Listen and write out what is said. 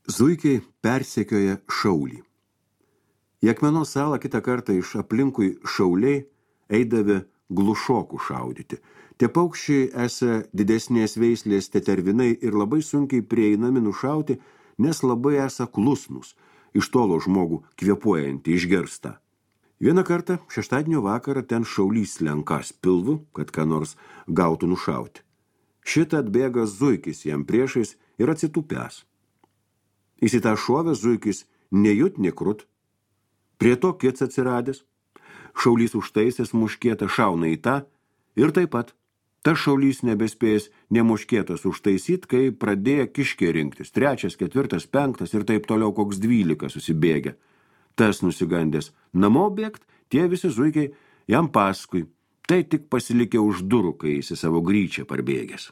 Zuikiai persekioja šaulį. Į Akmenos salą kitą kartą iš aplinkui šauliai eidavę glušokų šaudyti. Tie paukščiai esą didesnės veislės tetervinai ir labai sunkiai prieinami nušauti, nes labai esą klusnus, iš tolo žmogų kvėpuojantį išgirsta. Vieną kartą šeštadienio vakarą ten šaulys lenkas pilvu, kad ką nors gautų nušauti. Šitą atbėga zuikis jam priešais ir atsitupęs. Įsitą šovęs zuikis nejut nekrut. Prie to kits atsiradęs. Šaulys užtaisęs muškietą šauna į tą ir taip pat. Tas šaulys nebespėjęs nemuškietas užtaisyt, kai pradėjo kiškė rinktis. 3, 4, 5 ir taip toliau koks 12 susibėgė. Tas nusigandęs namo bėgt, tie visi zuikiai jam paskui. Tai tik pasilikė už durų, kai jis į savo gryčią parbėgęs.